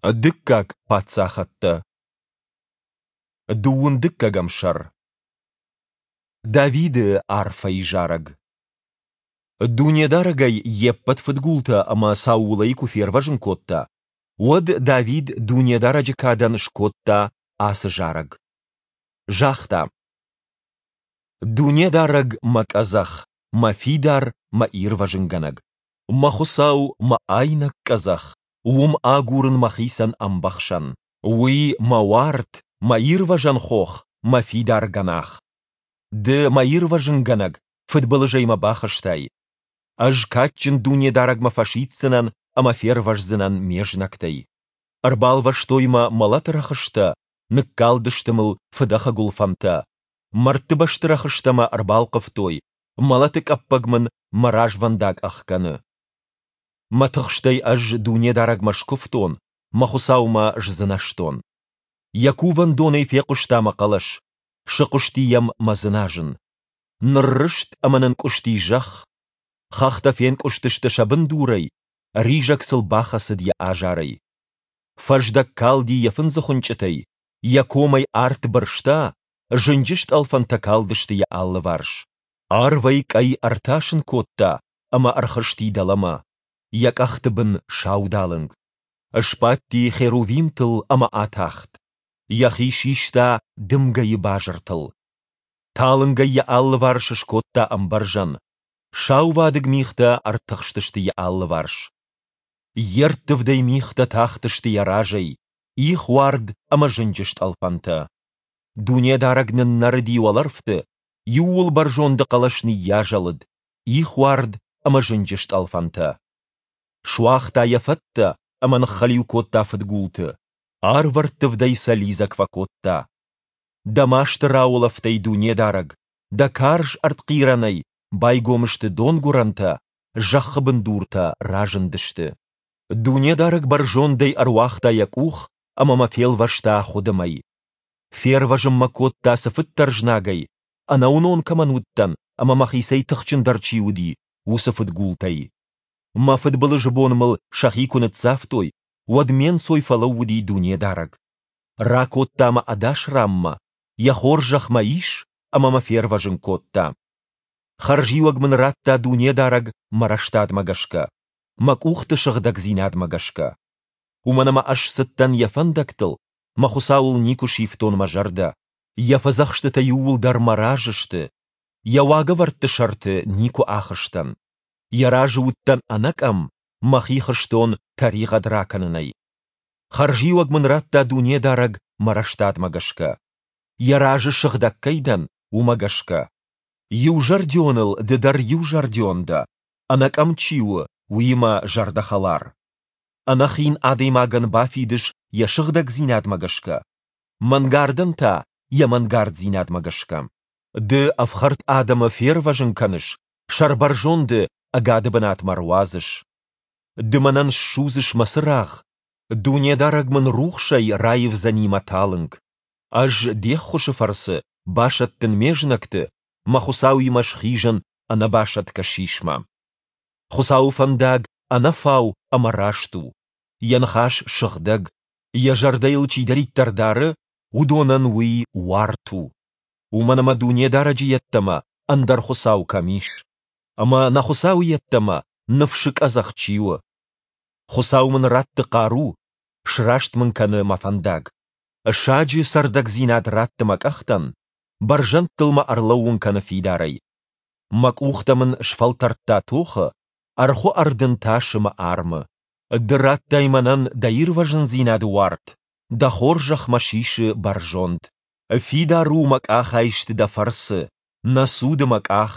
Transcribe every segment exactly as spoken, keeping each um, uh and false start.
Дыккаг паддзахӕдтӕ. Дыууын дыккӕгӕм сӕр. Давиды арфӕйы зарӕг. Дунедарӕг ӕй йе ппӕт фыдгултӕ ӕмӕ Саулӕй куы фервӕзын кодта, уӕд Давид Дунедарӕджы кадӕн скодта ацы зарӕг. Загъта: Дунедарӕг мӕ къӕдзӕх, мӕ фидар, мӕ ирвӕзынгӕнӕг! Мӕ Хуыцау, мӕ айнӕг къӕдзӕх, уым агурын мӕхицӕн ӕмбӕхсӕн. Уый мӕ уарт, мӕ ирвӕзӕн хох, мӕ фидар гӕнах. Ды, мӕ ирвӕзынгӕнӕг, фыдбылызӕй мӕ бахызтай. Ӕз кадджын Дунедарӕгмӕ фӕсиддзынӕн ӕмӕ фервӕздзынӕн ме знӕгтӕй. Ӕрбалвӕстой мӕ мӕлӕты рӕхыстӕ, ныккалдысты мыл фыдӕхы гуылфӕнтӕ, мӕрдтыбӕсты рӕхыстӕ мӕ ӕрбалхъывтой, мӕлӕты къӕппӕг мын мӕ развӕндаг ӕхгӕны. Мӕ тыхстӕй ӕз Дунедарӕгмӕ скуывтон, мӕ Хуыцаумӕ сдзынӕзтон. Йӕ кувӕндонӕй фехъуыста мӕ хъӕлӕс, сыхъуысти йӕм мӕ дзыназын. Ныррызт ӕмӕ нынкъуысти зӕхх, хӕхтӕ фенкъуыстысты сӕ бындурӕй, ризӕг сыл бахӕцыд йӕ азарӕй. Фӕздӕг калди йӕ фындзыхуынчъытӕй, йӕ комӕй арт бырста, зынджы стъӕлфӕнтӕ калдысты йӕ алыварс. Арвӕй къӕй ӕртасын кодта ӕмӕ ӕрхызти дӕлӕмӕ, йӕ къӕхты бын саудалынг. Сбадти херувимтыл ӕмӕ атахт, йӕхи систа дымгӕйы базыртыл. Талынгӕй йӕ алыварс скодта ӕмбӕрзӕн, саувадыг мигътӕ ӕртыхстысты йӕ алыварс. Йе рттывдӕй мигътӕ тахтысты йӕ разӕй, ихуард ӕмӕ зынджы стъӕлфӕнтӕ. Дунедарӕг ныннӕрыди уӕлӕрвты, Иууылбӕрзонды хъӕлӕс ныййазӕлыд, ихуард ӕмӕ зынджы стъӕлфӕнтӕ. Суагъта йӕ фӕттӕ ӕмӕ ныххӕлиу кодта фыдгулты, арвӕрттывдӕй сӕ лидзӕг фӕкодта. Дӕ масты рауылӕфтӕй, Дунедарӕг, Дӕ карз ӕртхъирӕнӕй байгом сты донгуырӕнтӕ, зӕххы бындуртӕ разындысты. Дунедарӕг бӕрзондӕй ӕруагъта йӕ къух ӕмӕ мӕ фелвӕста хуыдымӕй. Фервӕзын мӕ кодта цыфыддӕр знагӕй, ӕнӕуынон кӕмӕн уыдтӕн ӕмӕ мӕхицӕй тыхджындӕр чи уыди, уыцы фыдгултӕй. Мӕ фыдбылызы бон мыл сӕхи куы ныццавтой, уӕд ме нцой фӕлӕууыди Дунедарӕг. Ракодта мӕ ӕдас ранмӕ, Йӕ хорзӕх мӕ ис ӕмӕ мӕ фервӕзын кодта. Хӕрзиуӕг мын радта Дунедарӕг мӕ рӕстадмӕ гӕсгӕ, мӕ къухты сыгъдӕгдзинадмӕ гӕсгӕ. Уымӕн ӕмӕ ӕз цыдтӕн Йӕ фӕндӕгтыл, мӕ Хуыцауыл никуы сивтон мӕ зӕрдӕ. Йӕ фӕдзӕхстытӕ иууылдӕр мӕ разы сты, Йӕ уагӕвӕрдты сӕрты никуы ахызтӕн. Йӕ разы уыдтӕн ӕнӕкъӕм, мӕхи хызтон тӕригъӕд ракӕнынӕй. Хӕрзиуӕг мын радта Дунедарӕг мӕ рӕстадмӕ гӕсгӕ. Йӕ разы сыгъдӕг кӕй дӕн, уымӕ гӕсгӕ. Иузӕрдионыл ды дӕр иузӕрдион дӕ, ӕнӕкъӕм чи у, уыимӕ зӕрдӕхӕлар. Ӕнӕхин адӕймагӕн бафидыс йӕ сыгъдӕгдзинадмӕ гӕсгӕ, мӕнгардӕн та йӕ мӕнгарддзинадмӕ гӕсгӕ. Ды ӕфхӕрд адӕмы фервӕзын кӕныс, сӕрбӕрзонды ӕгады бынатмӕ руадзыс. Ды мӕнӕн ссудзыс мӕ цырагъ, Дунедарӕг мын рухсӕй раивдзӕни мӕ талынг. Ӕз Де ххуысы фӕрцы басӕттын ме знӕгты, мӕ Хуыцауимӕ схизын ӕнӕбасӕтгӕ сисмӕ. Хуыцауы фӕндаг ӕнӕфау ӕмӕ раст у, Йӕ ныхас сыгъдӕг, Йӕ зӕрдӕ йыл чидӕриддӕр дары, уыдонӕн уый уарт у. Уымӕн ӕмӕ Дунедарӕджы йеддӕмӕ ӕндӕр Хуыцау кӕм ис? Ӕмӕ нӕ Хуыцауы йеддӕмӕ ныфсы къӕдзӕх чи у? Хуыцау мын ратты хъару, сраст мын кӕны мӕ фӕндаг. Саджы цӕрдӕгдзинад ратты мӕ къӕхтӕн, бӕрзӕндтыл мӕ ӕрлӕууын кӕны фидарӕй. Мӕ къухтӕ мын сфӕлтӕрдта тохы, ӕрхуы ӕрдын тасы мӕ армы. Ды радтай мӕнӕн дӕ ирвӕзындзинады уарт, дӕ хорзӕх мӕ сисы бӕрзонд. Фидар у мӕ къахайст дӕ фӕрцы, нӕ цуды мӕ къах.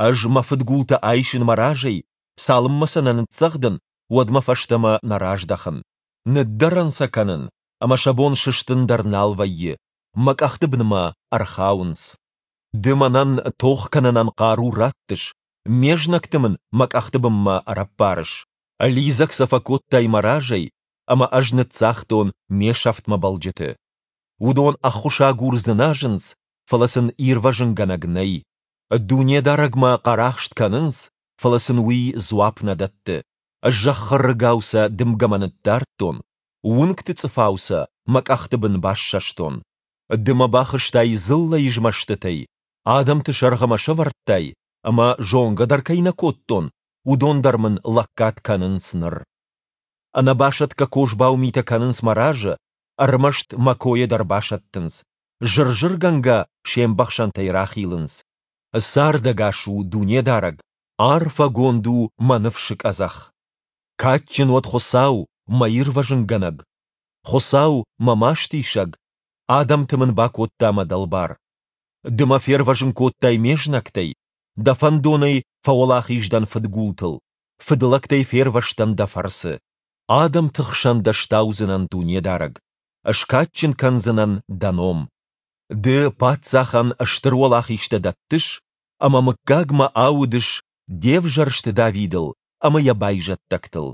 Ӕз мӕ фыдгулты айсын мӕ разӕй, цалынмӕ сӕ нӕ ныццӕгъдын, уӕдмӕ фӕстӕмӕ нӕ раздӕхын. Ныддӕрӕн сӕ кӕнын, ӕмӕ сӕ бон сыстын дӕр нал вӕййы, мӕ къӕхты бынмӕ ӕрхауынц. Ды мӕнӕн тох кӕнынӕн хъару раттыс, ме знӕгты мын мӕ къӕхты бынмӕ ӕрӕппарыс. Лидзӕг сӕ фӕкодтай мӕ разӕй, ӕмӕ ӕз ныццагътон ме сӕфтмӕ бӕлджыты. Уыдон ӕххуысагур дзыназынц, фӕлӕ сын ирвӕзынгӕнӕг нӕй. Дунедарӕгмӕ хъӕрахст кӕнынц, фӕлӕ сын Уый дзуапп нӕ дӕтты. Зӕххы рыгау сӕ дымгӕмӕ ныддардтон, уынгты цъыфау сӕ мӕ къӕхты бын бассӕстон. Ды мӕ бахызтай дзыллӕйы змӕстытӕй, адӕмты сӕргъы мӕ сӕвӕрдтай, ӕмӕ зонгӕ дӕр кӕй нӕ кодтон, уыдон дӕр мын лӕггад кӕнынц ныр. Ӕнӕбасӕтгӕ козбау митӕ кӕнынц мӕ разы, ӕрмӕст мӕ койӕ дӕр басӕттынц, зыр-зыргӕнгӕ се мбӕхсӕнтӕй рахилынц. Цардӕгас у Дунедарӕг! Арфӕгонд у мӕ ныфсы къӕдзӕх! Кадджын уӕд Хуыцау, мӕ ирвӕзынгӕнӕг! Хуыцау, мӕ мастисӕг, адӕмты мын бакодта мӕ дӕлбар. Ды мӕ фервӕзын кодтай ме знӕгтӕй, Дӕ фӕндонӕй фӕуӕлахиз дӕн фыдгултыл, фыдлӕгтӕй фервӕзтӕн Дӕ фӕрцы. Адӕмты хсӕн Дӕ стаудзынӕн, Дунедарӕг, скадджын кӕндзынӕн Дӕ ном. Ды паддзахӕн стыр уӕлахизтӕ дӕттыс ӕмӕ мыггагмӕ аудыс Де взӕрст Давидыл ӕмӕ йӕ байзӕддӕгтыл.